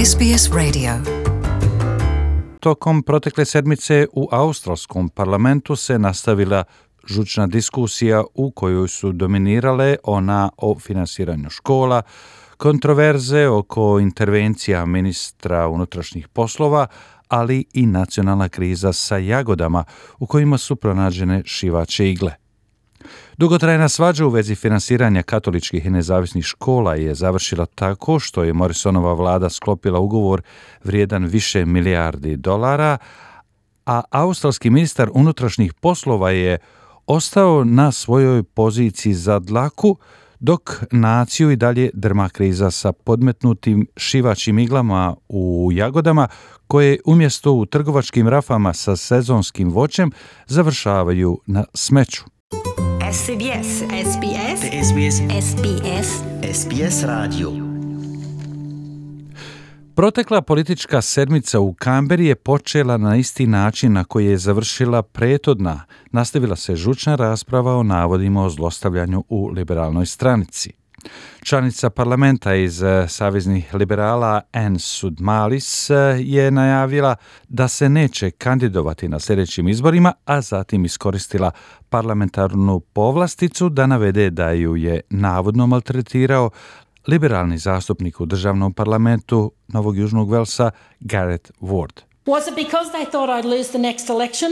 SBS Radio. Tokom protekle sedmice u australskom parlamentu se nastavila žučna diskusija u kojoj su dominirale ona o finansiranju škola, kontroverze oko intervencija ministra unutrašnjih poslova, ali i nacionalna kriza sa jagodama u kojima su pronađene šivaće igle. Dugotrajna svađa u vezi finansiranja katoličkih i nezavisnih škola je završila tako što je Morrisonova vlada sklopila ugovor vrijedan više milijardi dolara, a australski ministar unutrašnjih poslova je ostao na svojoj poziciji za dlaku, dok naciju i dalje drma kriza sa podmetnutim šivaćim iglama u jagodama koje umjesto u trgovačkim rafama sa sezonskim voćem završavaju na smeću. SBS. SBS radio. Protekla politička sedmica u Kamberi je počela na isti način na koji je završila prethodna. Nastavila se žučna rasprava o navodima o zlostavljanju u liberalnoj stranici. Članica parlamenta iz saveznih liberala Ann Sudmalis je najavila da se neće kandidovati na sljedećim izborima, a zatim iskoristila parlamentarnu povlasticu da navede da ju je navodno maltretirao liberalni zastupnik u državnom parlamentu Novog Južnog Velsa Gareth Ward. Was it because they thought I'd lose the next election?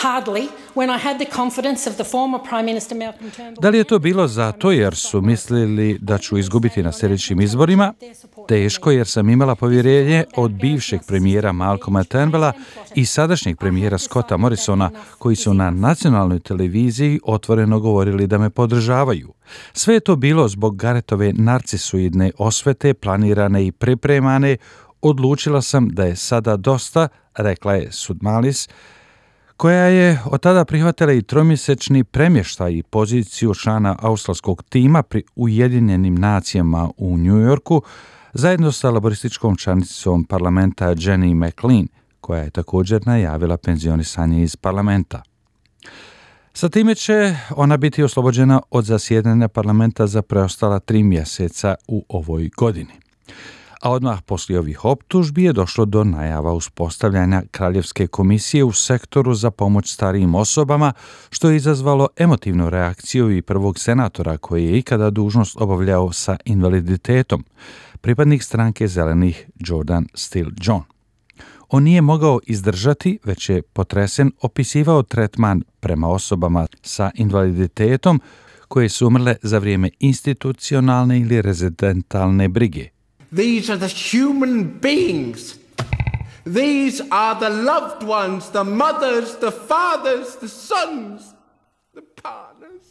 Hardly, when I had the confidence of the former Prime Minister Malcolm Turnbull. Da li je to bilo zato jer su mislili da ću izgubiti na sljedećim izborima? Teško, jer sam imala povjerenje od bivšeg premijera Malcolma Turnbulla i sadašnjeg premijera Scotta Morrisona, koji su na nacionalnoj televiziji otvoreno govorili da me podržavaju. Sve je to bilo zbog Garethove narcisoidne osvete, planirane i pripremane. Odlučila sam da je sada dosta, rekla je Sudmalis, koja je od tada prihvatila i tromjesečni premještaj i poziciju člana australskog tima pri Ujedinjenim nacijama u New Yorku, zajedno sa laborističkom članicom parlamenta Jenny McLean, koja je također najavila penzionisanje iz parlamenta. Sa time će ona biti oslobođena od zasjedanja parlamenta za preostala 3 mjeseca u ovoj godini. A odmah poslije ovih optužbi je došlo do najava uspostavljanja Kraljevske komisije u sektoru za pomoć starijim osobama, što je izazvalo emotivnu reakciju i prvog senatora koji je ikada dužnost obavljao sa invaliditetom, pripadnik stranke zelenih Jordan Steele John. On nije mogao izdržati, već je potresen opisivao tretman prema osobama sa invaliditetom koje su umrle za vrijeme institucionalne ili rezidentalne brige. These are the human beings. These are the loved ones, the mothers, the fathers, the sons, the partners.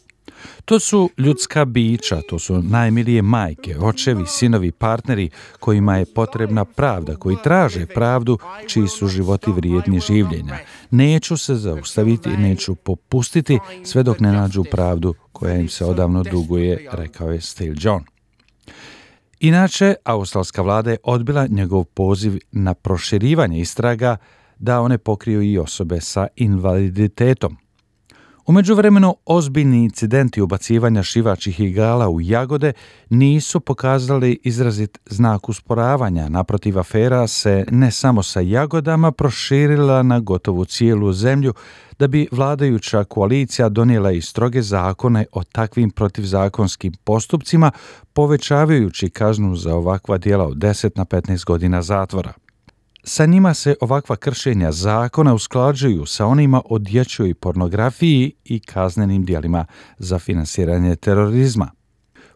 To su ljudska bića, to su najmilije majke, očevi, sinovi, partneri kojima je potrebna pravda, koji traže pravdu, čiji su životi vrijedni življenja. Neću se zaustaviti i neću popustiti sve dok ne nađu pravdu koja im se odavno duguje, rekao je Steele John. Inače, australska vlada je odbila njegov poziv na proširivanje istraga da one pokriju i osobe sa invaliditetom. U međuvremenu, ozbiljni incidenti ubacivanja šivaćih igala u jagode nisu pokazali izrazit znak usporavanja. Naprotiv, afera se ne samo sa jagodama proširila na gotovo cijelu zemlju, da bi vladajuća koalicija donijela i stroge zakone o takvim protivzakonskim postupcima, povećavajući kaznu za ovakva djela od 10 na 15 godina zatvora. Sa njima se ovakva kršenja zakona usklađuju sa onima o dječjoj pornografiji i kaznenim djelima za finansiranje terorizma.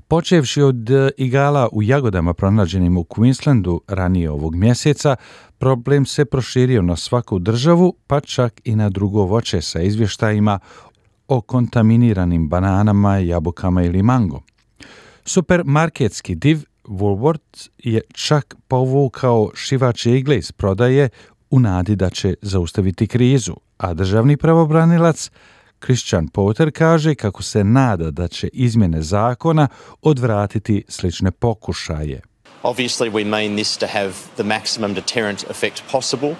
Počevši od igala u jagodama pronađenim u Queenslandu ranije ovog mjeseca, problem se proširio na svaku državu, pa čak i na drugo voće sa izvještajima o kontaminiranim bananama, jabukama ili mangom. Supermarketski div Woolworths je čak povukao šivaće igle iz prodaje u nadi da će zaustaviti krizu, a državni pravobranilac Christian Porter kaže kako se nada da će izmjene zakona odvratiti slične pokušaje. Obviously we mean this to have the maximum deterrent effect possible.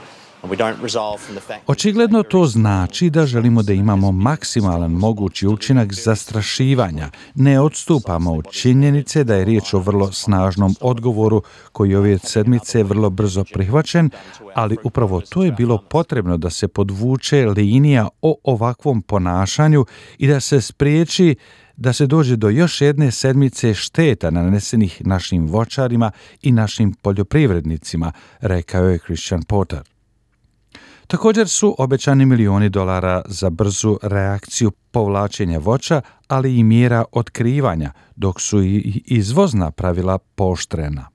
Očigledno to znači da želimo da imamo maksimalan mogući učinak zastrašivanja. Ne odstupamo od činjenice da je riječ o vrlo snažnom odgovoru koji ove sedmice vrlo brzo prihvaćen, ali upravo to je bilo potrebno da se podvuče linija o ovakvom ponašanju i da se spriječi da se dođe do još jedne sedmice šteta nanesenih našim voćarima i našim poljoprivrednicima, rekao je Christian Porter. Također su obećani milioni dolara za brzu reakciju povlačenja voća, ali i mjera otkrivanja, dok su i izvozna pravila pooštrena.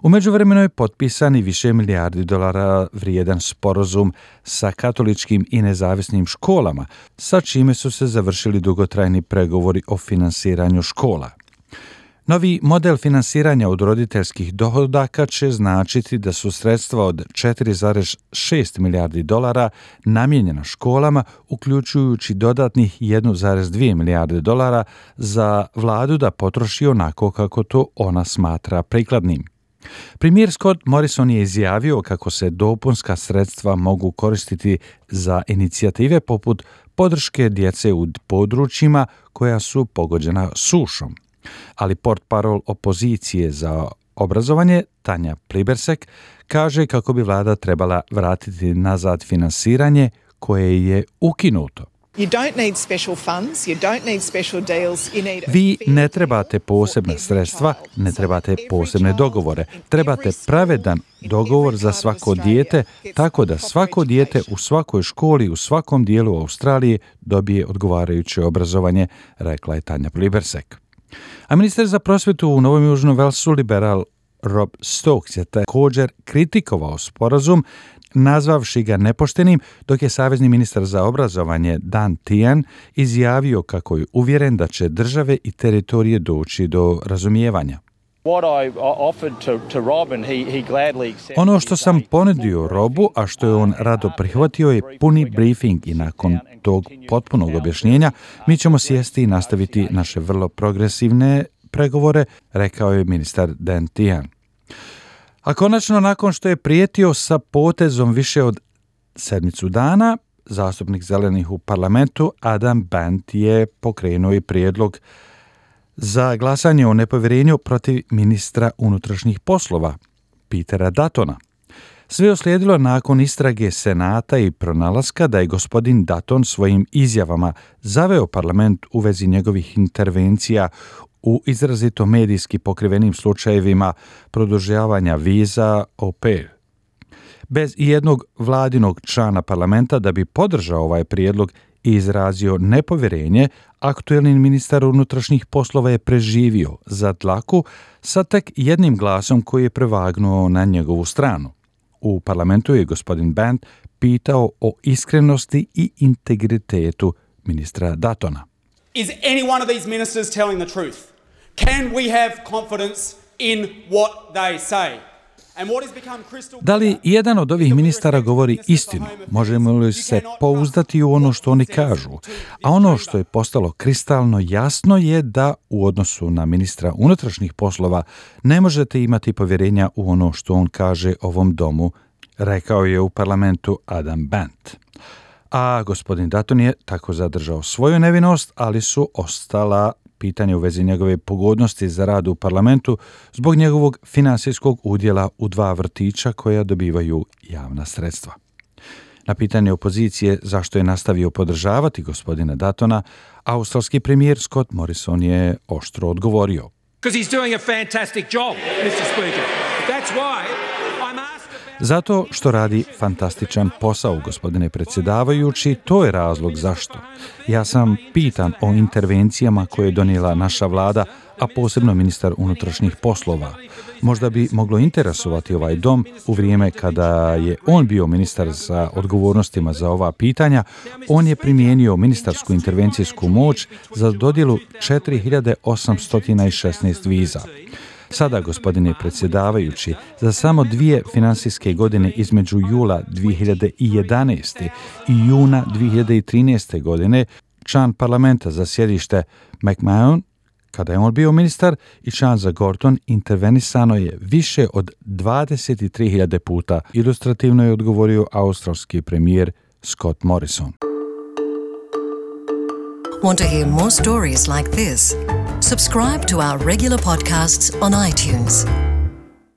U međuvremenu je potpisan i više milijardi dolara vrijedan sporazum sa katoličkim i nezavisnim školama, sa čime su se završili dugotrajni pregovori o finansiranju škola. Novi model finansiranja od roditeljskih dohodaka će značiti da su sredstva od 4,6 milijardi dolara namijenjena školama, uključujući dodatnih 1,2 milijarde dolara za vladu da potroši onako kako to ona smatra prikladnim. Premijer Scott Morrison je izjavio kako se dopunska sredstva mogu koristiti za inicijative poput podrške djece u područjima koja su pogođena sušom. Ali portparol opozicije za obrazovanje, Tanja Plibersek, kaže kako bi vlada trebala vratiti nazad finansiranje koje je ukinuto. Vi ne trebate posebna sredstva, ne trebate posebne dogovore. Trebate pravedan dogovor za svako dijete, tako da svako dijete u svakoj školi u svakom dijelu Australije dobije odgovarajuće obrazovanje, rekla je Tanja Plibersek. A ministar za prosvjetu u Novom Južnom Velsu, liberal Rob Stokes, je također kritikovao sporazum, nazvavši ga nepoštenim, dok je savezni ministar za obrazovanje Dan Tehan izjavio kako je uvjeren da će države i teritorije doći do razumijevanja. Ono što sam ponudio Robu, a što je on rado prihvatio, je puni briefing i nakon tog potpunog objašnjenja mi ćemo sjesti i nastaviti naše vrlo progresivne pregovore, rekao je ministar Dan Tehan. A konačno, nakon što je prijetio sa potezom više od 7 dana, zastupnik zelenih u parlamentu Adam Bant je pokrenuo i prijedlog za glasanje o nepovjerenju protiv ministra unutrašnjih poslova, Petera Duttona. Sve je uslijedilo nakon istrage Senata i pronalaska da je gospodin Dutton svojim izjavama zaveo parlament u vezi njegovih intervencija u izrazito medijski pokrivenim slučajevima produžavanja viza au pair. Bez jednog vladinog člana parlamenta da bi podržao ovaj prijedlog i izrazio nepovjerenje, aktuelni ministar unutrašnjih poslova je preživio za dlaku sa tek jednim glasom koji je prevagnuo na njegovu stranu. U parlamentu je gospodin Bant pitao o iskrenosti i integritetu ministra Duttona. Is any one of these ministers telling the truth? Can we have confidence in what they say? Da li jedan od ovih ministara govori istinu? Možemo li se pouzdati u ono što oni kažu? A ono što je postalo kristalno jasno je da u odnosu na ministra unutrašnjih poslova ne možete imati povjerenja u ono što on kaže ovom domu, rekao je u parlamentu Adam Bant. A gospodin Dutton je tako zadržao svoju nevinost, ali su ostala pitanje u vezi njegove pogodnosti za rad u parlamentu zbog njegovog financijskog udjela u 2 vrtića koja dobivaju javna sredstva. Na pitanje opozicije zašto je nastavio podržavati gospodina Duttona, australski premijer Scott Morrison je oštro odgovorio. Zato što radi fantastičan posao, gospodine predsjedavajući, to je razlog zašto. Ja sam pitan o intervencijama koje je donijela naša vlada, a posebno ministar unutrašnjih poslova. Možda bi moglo interesovati ovaj dom u vrijeme kada je on bio ministar za odgovornostima za ova pitanja. On je primijenio ministarsku intervencijsku moć za dodjelu 4816 viza. Sada, gospodine predsjedavajući, za samo 2 financijske godine između jula 2011. i juna 2013. godine, član parlamenta za sjedište McMahon Kada je on bio ministar i član za Gorton, intervenisano je više od 23.000 puta, ilustrativno je odgovorio australski premijer Scott Morrison. Want to hear more stories like this? Subscribe to our regular podcasts on iTunes.